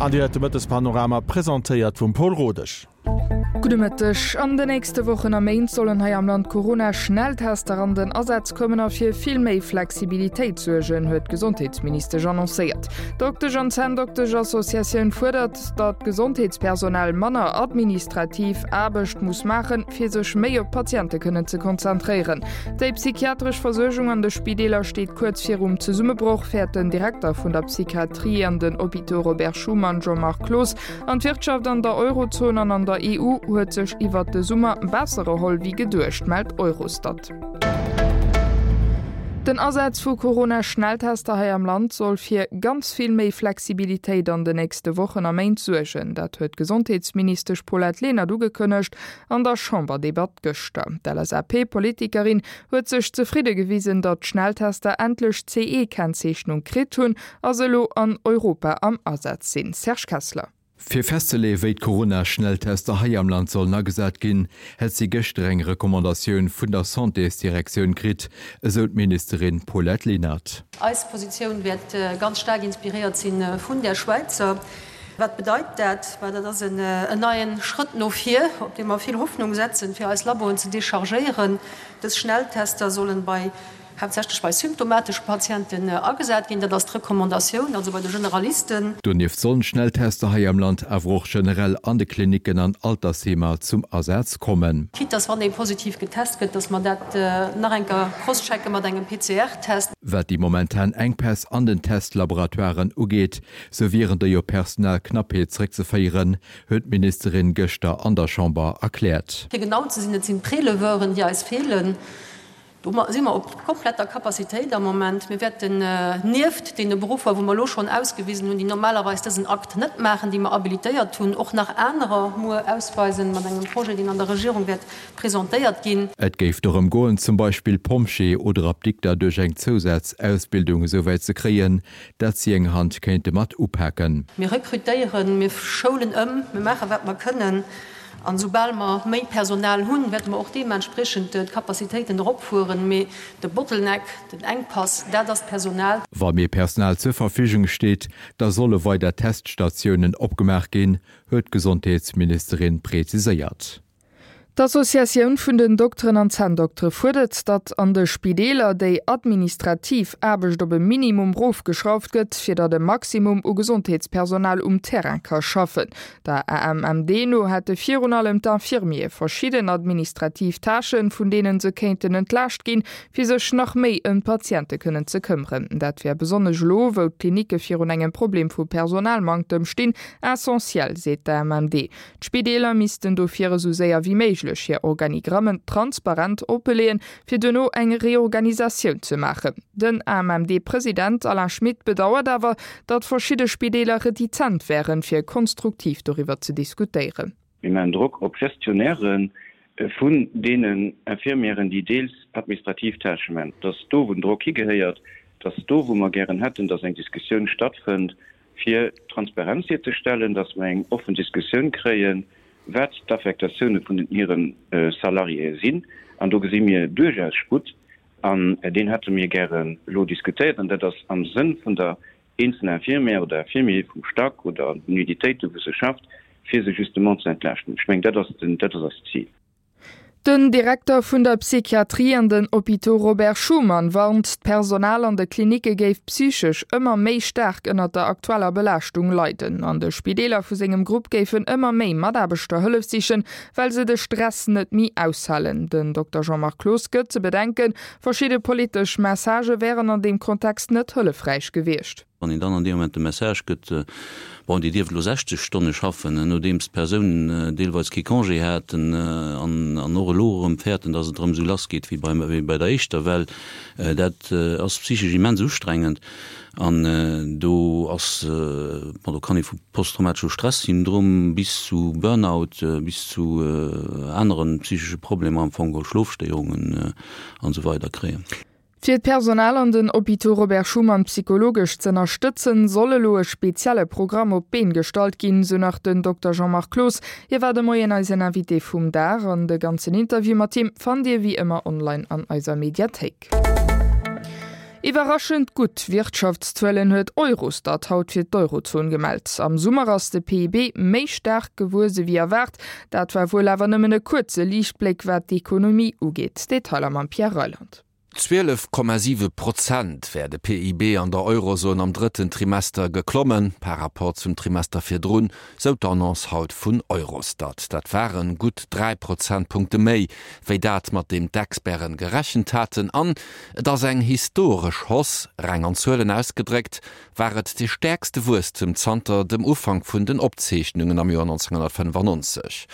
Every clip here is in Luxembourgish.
An Dir héiert de Mëttespanorama, presentéiert vum Paul Rodesch. Gudde Mëtteg. An de nächste Wochen a Méint sollen hei am Land Corona-Schnelltester an den Asaz kommen a fir vill méi Flexibilitéit suergen, huet d'Gesondheetsministesch annoncéiert. D'Doktesch an Zänndoktesch-Associatioun fuerdert, datt d'Gesondheetspersonal manner administrativ Aarbecht muss maachen, fir sech méi op d'Patiente kënnen ze konzentréieren. Déi psychiatresch Versuergung an de Spideeler steet kuerz virum Zesummebroch, fäert den Direkter vun der Psychiatrie an den Hôpitaux Robert Schuman Jean-Marc Cloos. An d'Wirtschaft an der Eurozon an an der EU huet sech iwwert de Summer besser erholl wéi geduecht, mellt Eurostat. Den Asaz vu Corona-Schnelltester hei am Land soll fir ganz vill méi Flexibilitéit an de nächste Wochen a Méint suergen. Dat huet d'Gesondheetsministesch Paulette Lenert ugekënnegt an der Chamberdebatt gëschter. D'LSAP-Politikerin huet sech zefridde gewisen, datt d'Schnelltester endlech d'CE-Kennzeechnung kritt hunn a se elo an Europa am Asaz sinn. Serge Kessler. Fir festzeleeë wéi d'Corona-Schnelltester hei am Land sollen agesat ginn, hätt si gëschter eng Recommandatioun vun der Santésdirektioun kritt, esou d'Ministerin Paulette Lenert. Eis Positioun wäert ganz staark inspiréiert si vun där Schwäizer. Wat bedeit dat? Bah, dat ass en neien Schrëtt no vir, op dee mer vill Hoffnung setzen, fir eis Laboen ze dechargéieren. Dës Schnelltester sollen bei haaptsächlech bei symptomatesche Patienten agesat ginn. Dat ass d'Recommandatioun, also bei de Generalisten. Donieft sollen d'Schnelltester hei am Land awer och generell an de Klinicken an Altersheemer zum Asaz kommen. Quitte dass wann ee positiv getest gëtt, dass mer dat nach eng Kéier crosschecke mat engem PCR-Test. Wat déi momentan Enkpäss an den Testlaboratoiren ugeet, sou wieren déi op Personalknappheet zeréckzeféieren, huet d'Ministerin gëschter an der Chamber erkläert. Fir genau ze sinn, et sinn d'Préleveuren, déi eis feelen. Do si mer op kompletter Capacitéit am Moment. Mir wäerten nieft deene Beruffer, wou mer elo schonn ausgewisen hunn, déi normalerweis dësen Akt net maachen, déi mer habilitéiert hunn, och nach anerer muer ausweisen mat engem Projet, deen an der Regierung wäert presentéiert ginn. Et géif dorëm goen, zum Beispill Pompjee oder Apdikter duerch eng Zousazausbildung esouwäit ze kréien, dat si eng Hand kéinte mat upaken. Mir rekrutéieren, mir schoulen ëm, mir maachen, wat mer kënnen. An esoubal mer méi Personal hunn, wäerte mer och deementspriechend d'Capacitéiten eropfueren. Mee de Bottleneck, den Enkpass, dat ass d'Personal. Wa méi Personal zur Verfügung steet, da solle weider Teststatiounen opgemaach ginn, huet d'Gesondheetsministerin preziséiert. D'Associatioun vun den Dokteren an Zänndoktere fuerdert, datt an de Spideeler déi administrativ Aarbecht op e Minimum rofgeschrauft gëtt, fir datt e Maximum u Gesondheetspersonal um Terrain ka schaffen. Der AMMD no hätte virun allem d'Infirmiere verschidden administrativ Tâchen, vun deene se kéinten entlaascht ginn, fir sech nach méi ëm d'Patiente kënnen ze këmmeren. Dat wär besonnesch elo, wou d'Klinicke virun engem Problem vu Personalmanktem stinn, essentiell, seet d'AMMD. D'Spideeler missten dofir esou séier wéi méiglech hir Organigrammen transparent oppeleeën, fir duerno eng Reorganisatioun ze maachen. Den AMMD-President Alain Schmit bedauert awer, datt verschidde Spideeler retizent wären, fir konstruktiv doriwwer ze diskutéieren. Mir maachen Drock op d'Gestionnairë vun deenen Infirmièren, déi deels administrativ Tâchë maachen. Et ass do, wou den Drock higehéiert. Et ass do, wou mer gären hätten, datt eng Diskussioun stattfënnt, fir Transparenz hierzestellen, datt mer eng offen Diskussioun kréien, wat d'Affektatioune vun den hire Salariéë sinn. An do gesi mir duerchaus Sputt. An deen hätte mir gären elo diskutéiert. An dat ass am Sënn vun der eenzeler Infirmière oder Infirmier, vum Stack oder den Unitéiten, wou se schafft, fir se justement ze entlaaschten. Ech mengen, dat ass den, dat ass eist Zil. Den Direkter vun der Psychiatrie an den Hôpitaux Robert Schuman warnt, d'Personal an de Klinicke géif psychesch ëmmer méi staark ënnert der aktueller Belaaschtung leiden. An de Spideeler vu sengem Grupp géifen ëmmer méi Mataarbechter Hëllef sichen, well se de Stress net méi aushalen. Den Dokter Jean-Marc Cloos gëtt ze bedenken, verschidde politesch Messagë wären an deem Kontext net hëllefräich gewiescht. Wann een dann an deem Moment de Message gëtt, bon, Dir dierft elo 60 Stonne schaffen, nodeems d'Persounen deelweis kee Congé haten an och elo erëm fäerten, datt et erëm esou lass geet wéi bei der éischter Well, dat ass psychesch immens ustrengend. An do ass, bon, do kann ee vu posttraumatesche Stress-Syndrom bis zu Burnout, bis zu anere psychesche Problemer am Fong, Schlofstéierungen an esou weider kréien. Fir d'Personal an den Hôpitaux Robert Schuman psychologesch z'ënnerstëtzen, soll elo e spezielle Programm op d'Been gestallt ginn, sou nach den Dokter Jean-Marc Cloos. Hie war de Moien eisen Invité vum Dag an de ganzen Interview mat him fannt Dir wéi ëmmer online an eiser Mediathéik. Iwwerraschend gutt Wirtschaftszuelen huet Eurostat haut fir d'Eurozon gemellt. Am Summer ass de PIB méi staark gewuesse wéi erwaart. Dat war wuel awer nëmmen e kuerze Liichtbléck wat d'Ekonomie ugeet. Detailer mam Pierre Reyland. 12,7 Prozent wär de PIB an der Eurozon am drëtten Trimester geklommen, par Rapport zum Trimester virdrun, sou d'Annonce haut vun Eurostat. Dat ware gutt 3 Prozentpunkte méi, wéi dat, mat deem d'Experten gerechent haten. An et ass eng historesch Hausse, reng an Zuelen ausgedréckt war et de stäerkste Wuesstem zanter dem Ufank vun den Opzeechnungen am Joer 1995.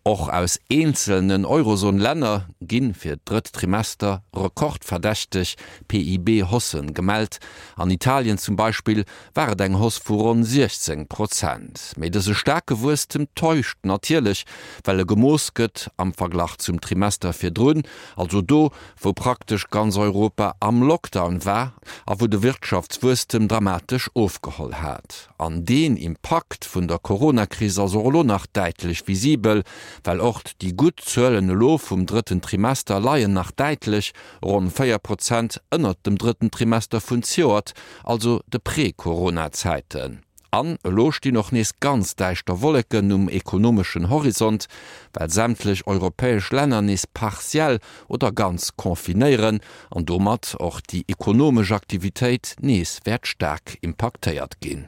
Och aus eenzelnen Eurozon-Länner gi fir d'drëtt Trimester rekordverdächteg PIB-Haussë gemellt. An Italien zum Beispill war et eng Hausse vu ronn 16 Prozent. Mee dëse staarke Wuesstem täuscht natierlech, well e gemooss gëtt am Verglach zum Trimester virdrun, also do, wou praktesch ganz Europa am Lockdown war a wou de Wirtschaftswuesstem dramatesch ofgeholl hat. An deen Impakt vun der Coronakris ass och elo nach däitlech visibel, well och déi gutt Zuelen elo vum drëtten Trimester leien nach däitlech, ronn 4 Prozent, ënnert dem drëtten Trimester vun zejoert, also de Pre-Corona-Zäiten. An elo stinn och nees ganz däischter Wolleken um ekonomeschen Horizont, well sämtlech europäesch Länner nees partiell oder ganz confinéieren an domat och déi ekonomesch Aktivitéit nees wäert staark impaktéiert ginn.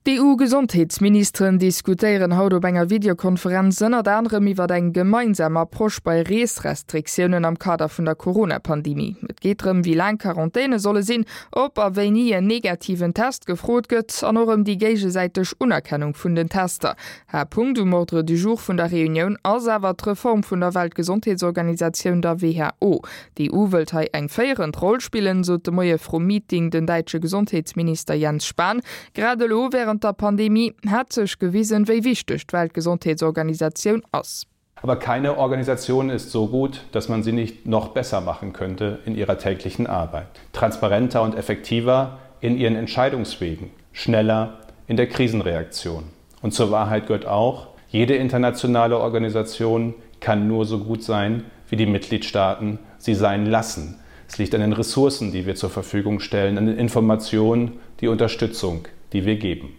D'EU-Gesondheetsministeren diskutéieren haut op enger Videokonferenz ënnert anerem iwwer eng gemeinsam Approche bei Reesrestriktiounen am Kader vun der Corona-Pandemie. Et geet drëm, wéi laang Quarantäne solle sinn, ob a wéini en negativen Test gefrot gëtt an och ëm déi géigesäiteg Unerkennung vun den Tester. Haaptpunkt um Ordre du jour vun der Reunioun ass awer d'Reform vun der Weltgesondheetsorganisatioun, der WHO. D'EU wëllt hei eng féierend Roll spillen, sot de Moie vrum Meeting den däitsche Gesondheetsminister Jens Spahn. Grad elo wärend der Pandemie hätt sech gewisen, wéi wichteg d'Weltgesondheetsorganisatioun ass. Aber keine Organisation ist so gut, dass man sie nicht noch besser machen könnte in ihrer täglichen Arbeit. Transparenter und effektiver in ihren Entscheidungswegen, schneller in der Krisenreaktion. Und zur Wahrheit gehört auch, jede internationale Organisation kann nur so gut sein, wie die Mitgliedstaaten sie sein lassen. Es liegt an den Ressourcen, die wir zur Verfügung stellen, an den Informationen, die Unterstützung, die wir geben.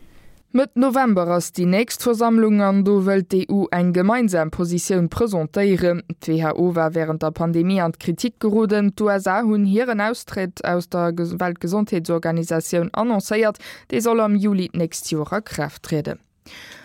Mëtt November ass déi nächst Versammlung an do wëllt d'EU eng gemeinsam Positioun presentéieren. D'WHO war wärend der Pandemie an d'Kritik geroden. D'USA hunn hiren Austrëtt aus der Weltgesondheetsorganisatioun annoncéiert. Dee soll am Juli d'nächst Joer a Kraaft trieden.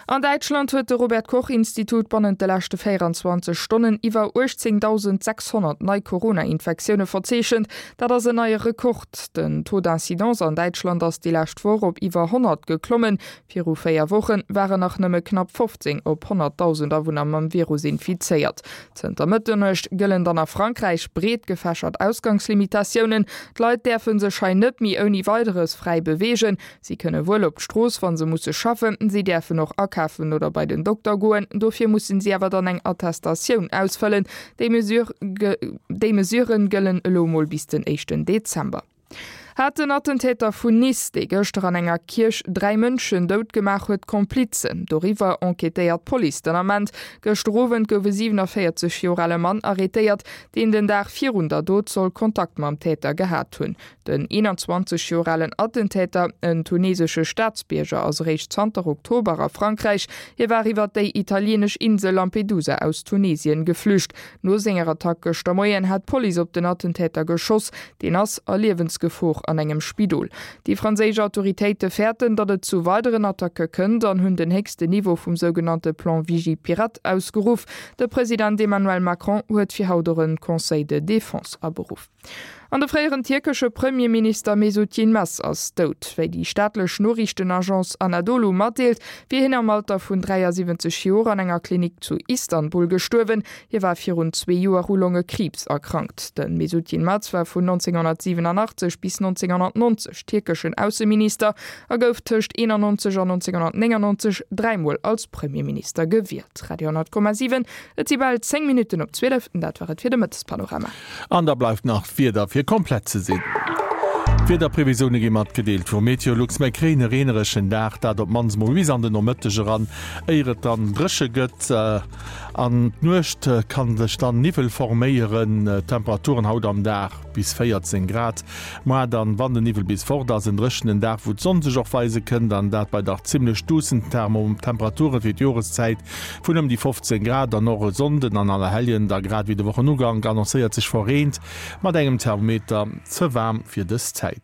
An Däitschland huet de Robert Koch Institut bannent de leschte 24 Stonnen iwwer 18.600 nei Corona-Infektioune verzeechent. Dat ass en neie Rekord. Den Taux d'incidence an Däitschland ass déi lescht Woch op iwwer 100 geklommen. Viru 4 Woche waren nach nëmme knapp 15 op 100.000 Awunner mam Virus infizéiert. Zënter Mëtternuecht gëllen dann a Frankräich breet gefächert Ausgangslimitatiounen. D'Leit däerfe sech hei net méi ouni Weideres fräi beweegen. Si kënne wuel op d'Strooss, wa se musse schaffen. Si däerfen och akafen oder bei den Dokter goen. Dofir mussen si awer dann eng Attestatioun ausfëllen. Déi Mesurë gëllen elo emol bis den éischten Dezember. Hat den Attentäter vun Nice, dee gëschter an enger Kierch 3 Mënschen dout gemaach huet, Komplizen? Doriwwer enquêtéiert d'Police den Ament. Gëschter Owend gouf e 47 Joer ale Mann arrêtéiert, deen den Dag virun der Dot soll Kontakt mam Täter gehat hunn. Den 21 Joer alen Attentäter, en tunesesche Staatsbierger, ass eréischt zanter Oktober a Frankräich. Hie war iwwer déi italieenesch Insel Lampedusa aus Tunesien geflücht. No senger Attack gëschter Moien hat d'Police op den Attentäter geschoss. Deen ass a Liewensgefor an engem Spidol. Déi franséisch Autoritéite fäerten, datt et zu weideren Attacke kënnt an hunn den héchsten Niveau vum sougenannte Plan Vigipirate ausgeruff. De President Emmanuel Macron huet fir haut och en Conseil de défense aberuff. An de fréieren tierkesche Premierminister Mesut Yilmaz ass dout. Wéi déi staatlech Noriichtenagence Anadolu matdeelt, wier hien am Alter vun 73 Joer an enger Klinik zu Istanbul gestuerwen. Hie war virun zwee Joer u Longekriibs erkrankt. De Mesut Yilmaz war vun 1987 bis 1990 tierkeschen Ausseminister a gouf tëscht 91 an 1999 dräimol als Premierminister gewielt. Radio 10,7 Et si bal 10 Minutten op 12, dat war et fir de Mëttespanorama. An da bleift nach d'Wieder fir komplett ze sinn. D'Wiederprevisioune gi matgedeelt vu Meteolux. Mir kréien e reenereschen Dag, dat op d'mannst mol bis an de Nomëtteg eran, éier et dann dréche gëtt. An d'Nuecht kann sech dann Niwwel forméieren. Temperaturen haut am Dag bis 14 Grad. Moar dann, wann den Niwwel bis fort ass, en dréchenen Dag, wou d'Sonn sech och weise kënnt, an dat bei dach zimmlech duussen Temperature fir d'Joreszäit vun ëm déi 15 Grad. An och e Sonnden an Allerhelljen da grad wéi de Wochenugank annoncéiert sech verreent mat engem Thermometer ze waarm fir dës Zäit.